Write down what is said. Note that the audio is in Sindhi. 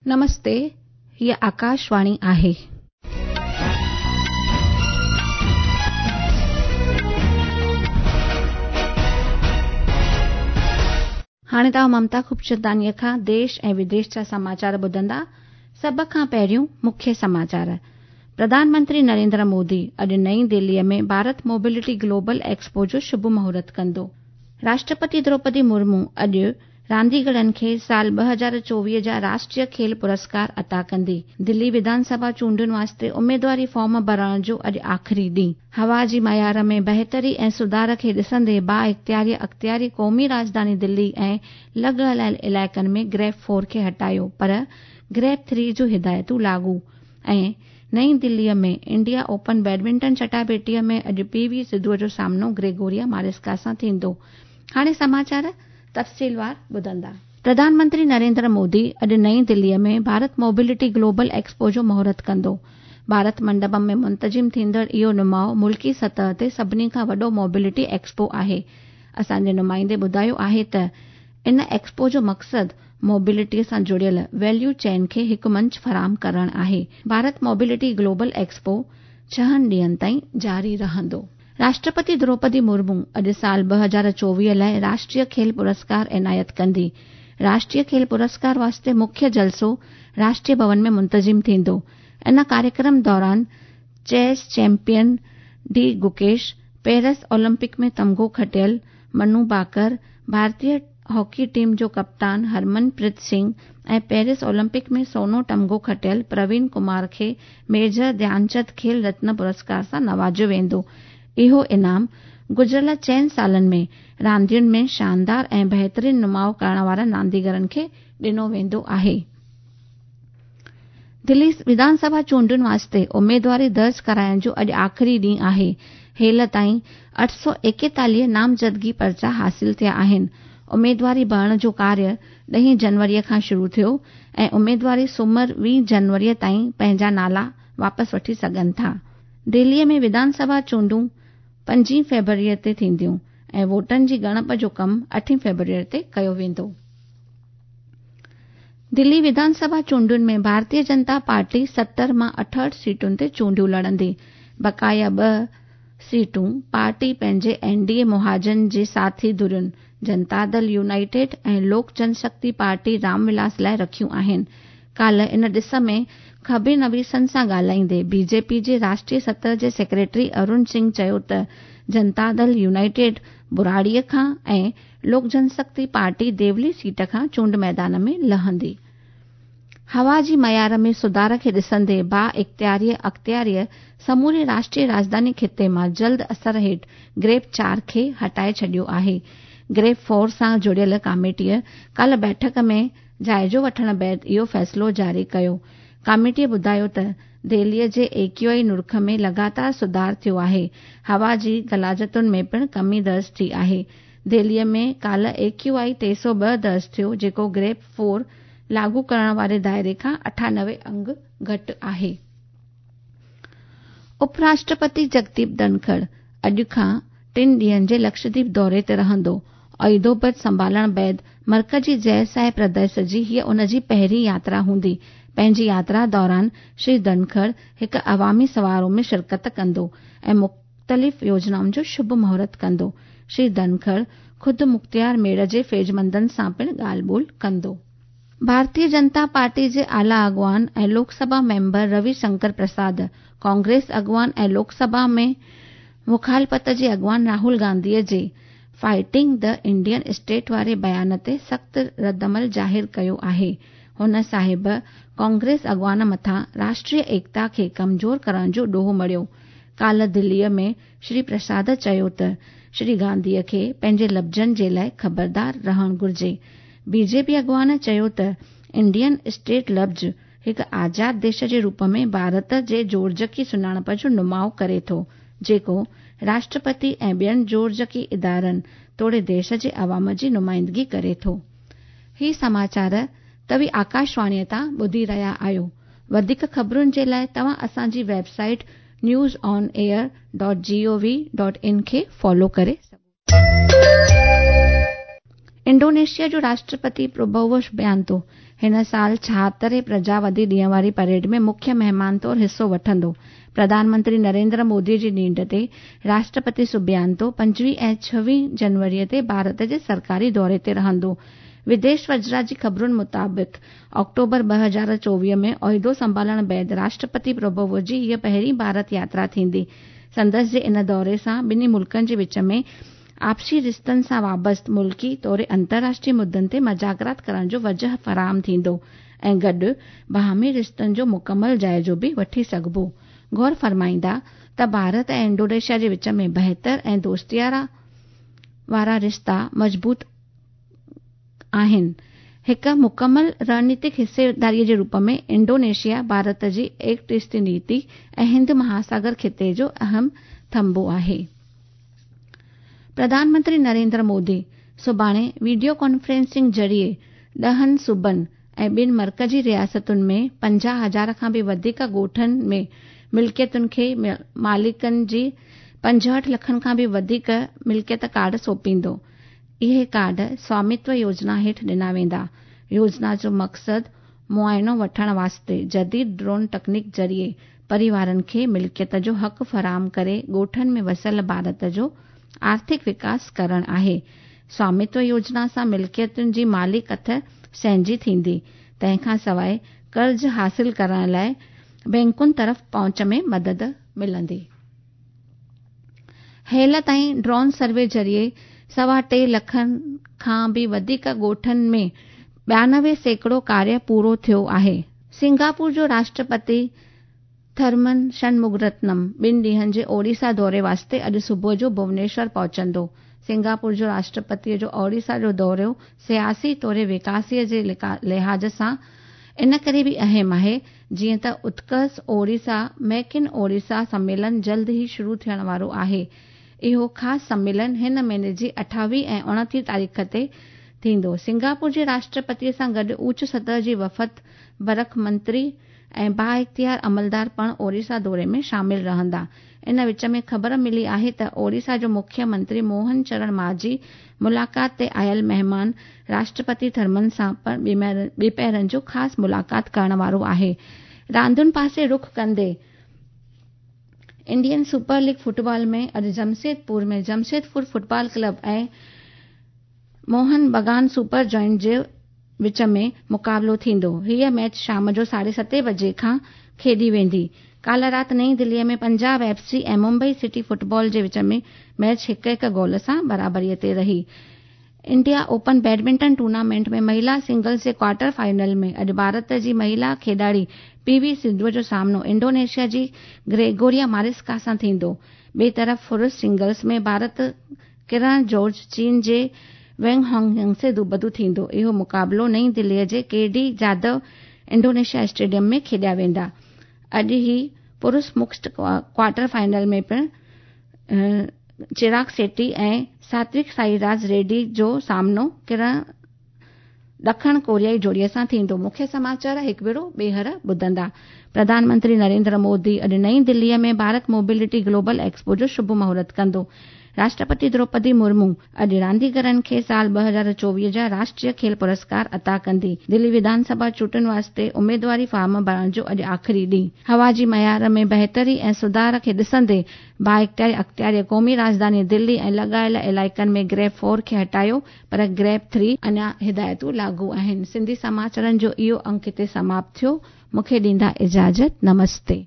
نمستي، هيء آڪاشواڻي آهي. هاڻي توهان ممتا خوبچنداڻيء کان ديش ۽ وديش جا سماچار ٻڌندا. سڀ کان پهريون مکيه سماچار. پرڌان منتري نريندر مودي اڄ نئين دهليء ۾ ڀارت موبلٽي گلوبل ايڪسپو جو شڀ مهورت ڪندو. راشٽرپتي دروپدي مرمو اڄ رانديگرن کي سال 2024 جا راشٽريه کيل پرسڪار عطا ڪندي. دلي وڌان سڀا چونڊن واسطي اميدواري فارم ڀرڻ جو اڄ آخري ڏينهن. هوا جي معيار ۾ بهتري ۽ سڌار کي ڏسندي بااختياري اختياري قومي راڄڌاني دلي ۽ لڳ هلايل علائقن ۾ گريپ فور کي هٽايو پر گريپ ٿري جون هدايتون لاڳو ۽ نئين دليء ۾ انڊيا اوپن بيڊمنٽن چٽاڀيٽيء ۾ اڄ پي وي سڌوء جو سامنو گريگوريا ماريسڪا سان ٿيندو. هاڻي سماچار تفصيلوار ٻڌندا. پرڌان منتري نريندر مودي اڄ نئين دليء ۾ ڀارت موبلٽي گلوبل ايڪسپو جو مهورت ڪندو. ڀارت منڊپم ۾ منتظم ٿيندڙ اهو نماء ملڪي سطح تي سڀني کان وڏو موبلٽي ايڪسپو آهي. اسان جي نمائندي ٻڌايو آهي ته ان ايڪسپو جو مقصد موبلٽي سان جڙيل ويليو چين کي هڪ منچ فراهم ڪرڻ آهي. ڀارت موبلٽي گلوبل ايڪسپو ڇهن ڏينهن تائين جاري رهندو. راشٽرپتي دروپدي مرمو اڄ سال 2024 لاءِ راشٽريه کيل پرسڪار عنايت ڪندي. راشٽريه کيل پرسڪار واسطي مکيه جلسو راشٽريه ڀون ۾ منتظم ٿيندو. ان ڪاريڪرم دوران chess champion D Gukesh, Paris Olympic ۾ تمغو کٽيل منو ڀاڪر، ڀارتيه هاڪي ٽيم جو ڪپتان هرمن پريت سنگهه ۽ پيرس اولمپڪ ۾ سونو تمغو کٽيل پروين ڪمار کي ميجر ڌيانچند کيل رتن پرسڪار سان نوازيو ويندو. اهو انعام گذريل چئن سالن ۾ راندين ۾ شاندار ۽ بهترين نماءُ ڪرڻ وارن رانديگرن کي ڏنو ويندو آهي. دلي وڌان سڀا چونڊن واسطي اميدواري درج ڪرائڻ جو اڄ آخري ڏينهن آهي. هيل تائين 841 نامزدگي پرچا حاصل ٿيا آهن. اميدواري ڀرڻ جو ڪاريه ڏهين جنوريء کان شروع ٿيو ۽ اميدواري سومر 20 جنوريء تائين پنهنجا نالا واپس وٺي سگهن ٿا. دهليء ۾ وڌان سڀا چونڊون پنجين فيبروريء تي ٿينديون ۽ ووٽن جي ڳڻپ جو ڪم اٺين فيبروريء تي ڪيو ويندو. دلي وڌان سڀا چونڊن ۾ ڀارتيه جنتا پارٽي 70 مان 68 سيٽن تي چونڊيون لڙندي. بقايا ٻه سيٽون پارٽي پنهنجي اين ڊي اي مهاجن جي ساٿي ڌرين جنتا دل يونائيٽيڊ ۽ لوڪ جن شڪتي پارٽي رام ولاس لاءِ رکيون آهن. ڪالهه ان ڏس ۾ خبرنويسن سان ڳالهائيندي بي جي پي جي راشٽريه سطح جي سيڪريٽري ارون سنگهه چيو ته جنتا دل يونائيٽيڊ براڙيء کان ۽ لوڪ جن شڪتي پارٽي ديولي سيٽ کان چونڊ ميدان ۾ لهندي. هوا جي معيار ۾ سڌار کي ڏسندي بااختياريء اختياريء سموري راشٽريه راڄڌاني خطي مان جلد اثر هيٺ گريپ چار کي هٽائي ڇڏيو آهي. گريپ فور سان جڙيل ڪاميٽيء ڪالهه بيٺڪ ۾ جائزو وٺڻ بعد اهو فيصلو جاري ڪيو. ڪاميٽيء ٻڌايو ته دهليء جي اي ڪيو آء نرخ ۾ لڳاتار سڌار ٿيو آهي، هوا جي غلاظتن ۾ پڻ ڪمي درج ٿي آهي. دهليء ۾ ڪالهه اي ڪيو آء 302 درج ٿيو، جيڪو گريپ فور لاڳو ڪرڻ واري دائري کان 98 انگ گهٽ آهي. اپ راشٽرپتي جگديپ ڌنکڙ اڄ کان ٽن ڏينهن جي لڪشديپ دوري تي رهندو. عهدو پد سنڀالڻ بعد مرڪزي جئه پرديس جي هيء ان جي پهرين ياترا هوندي. پنهنجي ياترا دوران شري ڌنکڙ هڪ عوامي سماروهه ۾ شرڪت ڪندو ۽ مختلف يوجنائن جو شڀ مهورت ڪندو. شري ڌنکڙ خود مختيار ميڙ جي فيضمندن سان پڻ ڳالهه ٻولهه ڪندو. ڀارتيه جنتا پارٽي جي اعليٰ اڳواڻ ۽ لوڪ سڀا ميمبر روي شنڪر پرساد، ڪانگريس اڳواڻ ۽ لوڪ سڀا ۾ مخالفت جي اڳواڻ راهول گانڌيء جي فائٽنگ the Indian state واري بيان تي سخت ردعمل ظاهر ڪيو آهي. هن صاحب ڪانگريس اڳواڻ مٿان راشٽريه ايڪتا کي ڪمزور ڪرڻ جو ڏوهه مڙهيو. ڪالهه دليء ۾ شري پرساد چيو ته شري گانڌيء کي پنهنجي لفظن جي لاءِ خبردار رهڻ گهرجي. بي جي پي اڳواڻ چيو ته انڊين اسٽيٽ لفظ هڪ آزاد ديش جي روپ ۾ ڀارت جي جوڙجڪي سڃاڻپ جو نماءُ ڪري ٿو، جيڪو راشٽرپتي ۽ ٻين جوڙجڪي ادارن توڙي ديش جي عوام جي نمائندگي ڪري ٿو. هي سماچار توهين آڪاشواڻيء تان ٻڌي رهيا آهيو. وڌيڪ خبرن جي لاءِ توهان اسان جي website news on air dot G O V dot in کي فالو ڪري سگهو ٿا. انڊونيشيا جو راشٽرپتي پرابوو سبيانتو هن سال 76هين پرجاوادي ڏينهن واري پريڊ ۾ مکيه مهمان طور حصو وٺندو. پرڌان منتري نريندر مودي جي نينڍ تي راشٽرپتي سوبيانتو 25 ۽ 26 جنوري تي ڀارت جي سرڪاري دوري تي رهندو. وديش وزارت جي خبرن مطابق آڪٽوبر 2024 ۾ عهدو سنڀالڻ بعد راشٽرپتي پرابوو جي هيء پهرين ڀارت ياترا ٿيندي. سندس جي ان دوري سان ٻنهي ملڪن جي وچ ۾ آپسي رشتن سان وابسته ملڪي توڙي انترراشٽريه مدن تي مذاڪرات ڪرڻ جو وجهه فراهم ٿيندو ۽ گڏ باهمي رشتن جو مڪمل جائزو به وٺي سگهبو. غور فرمائيندا ته ڀارت ۽ انڊونيشيا جي وچ ۾ بهتر ۽ دوستياڻا وارا رشتا مضبوط آهن. هڪ مڪمل رڻنيتڪ حصيداري جي روپ ۾ انڊونيشيا ڀارت جي ايڪٽ ايسٽ نيتي ۽ هند مهاساگر خطي جو اهم ٿنڀو آهي. پرڌان منتري نريندر مودي سڀاڻي وڊيو ڪانفرنسنگ ذريعي 10 صوبن ۽ ٻن مرڪزي رياستن ۾ 50,000 کان به وڌيڪ ڳوٺن ۾ ملڪيتن کي مالڪن جي 65 لکن کان به وڌيڪ ملڪيت ڪارڊ سونپيندو. اهي ڪارڊ سوامتو يوجنا هيٺ ڏنا ويندا. يوجنا جو مقصد معائنو وٺڻ واسطي جديد ڊرون ٽيڪنيڪ ذريعي پريوارن کي ملڪيت جو حق فراهم ڪري ڳوٺن ۾ وسيل ڀارت جو آرٿڪ وڪاس ڪرڻ آهي. سوامتو يوجنا سان ملڪيتن جي مالي ڪٿ سهنجي ٿيندي. تنهن کان سواء قرض حاصل ڪرڻ لاء بئنڪن طرف پهچ ۾ مدد ملندي. هيل تائين ڊرون سروي ذريعي 3.25 لکن کان به وڌيڪ ڳوٺن ۾ 92% ڪاريه پورو ٿيو آهي. سنگاپور جو راشٽرپتي ٿرمن شنمگرتنم ٻن ڏينهن جي اوڙيسا دوري واسطي اڄ صبح جو ڀونيشور پهچندو. سنگاپور جو راشٽرپتيء جو اوڙيسا جو دورو سياسي توڙي وڪاسيء جي لحاظ سان ان ڪري به اهم آهي، جيئن ته اتڪس اوڙيسا ميڪ ان اوڙيسا سميلن جلد ئي شروع ٿيڻ وارو آهي. اهو خاص سميلن هن مهيني جي 28 ۽ 29 تاريخ تي ٿيندو. سنگاپور جي راشٽرپتيء سان گڏ اوچ سطح جي وفد، برک منتري ۽ بااختيار عملدار پڻ اوڙيسا دوري ۾ شامل رهندا. ان وچ ۾ خبر ملي آهي ته اوڙيسا جو مکيه منتري موهن چرڻ ماجهي ملاقات تي آيل مهمان راشٽرپتي ٿرمن سان پڻ ٻپهرن جو خاص ملاقات ڪرڻ وارو آهي. راندين پاسي رخ ڪندي انڊين سپر ليگ فٽبال ۾ اڄ Jamshedpur ۾ Jamshedpur football club ۽ Mohun Bagan super giant جي وچ ۾ مقابلو ٿيندو. هيء ميچ شام جو 7:30 بجي کان کيڏي ويندي. ڪالهه رات نئين دهليء ۾ Punjab F C ۽ Mumbai city football جي وچ ۾ ميچ هڪ هڪ گول سان برابريء تي رهي. انڊيا اوپن بيڊمنٽن ٽورنامينٽ ۾ مهيلا سنگلز جي ڪوارٽر فائنل ۾ اڄ ڀارت جي مهيلا کيڏاڙي پي وي سنڌوء جو سامنو انڊونيشيا جي گريگوريا مارسڪا سان ٿيندو. ٻئي طرف پرش سنگلز ۾ ڀارت ڪرڻ جارج چين جي وينگ هانگ ينگ سي دوبدو ٿيندو. اهو مقابلو نئين دهليء جي K D Jadhav Indonesia stadium ۾ کيڏيا ويندا. اڄ ئي پرش مڪسڊ ڪوارٽر فائنل ۾ پڻ چراگ شيٽي ۽ ساتوڪ سائي راج ريڊي جو سامنو ڪرڻ ڏکڻ ڪوريائي جوڙي سان ٿيندو. مکيه سماچار هڪ ڀيرو ٻيهر ٻڌندا. پرڌان منتري نريندر مودي اڄ نئين دهليء ۾ ڀارت موبلٽي گلوبل ايڪسپو جو شڀ مهورت ڪندو. راشٽرپتي دروپدي مرمو اڄ رانديگرن کي سال 2024 جا راشٽريه کيل پرسڪار عطا ڪندي. دلي وڌان سڀا چونڊن واسطي اميدواري فارم ڀرڻ جو اڄ آخري ڏينهن. هوا جي معيار ۾ بهتري ۽ سڌار کي ڏسندي بااختيار اختياري قومي راڄڌاني دلي ۽ لڳايل علائقن ۾ گريپ فور کي هٽايو پر گريپ ٿري اڃا هدايتون لاڳو آهن. سنڌي سماچارن جو اهو انڪ هتي سماپت ٿيو. مون کي ڏيندا اجازت. نمستي.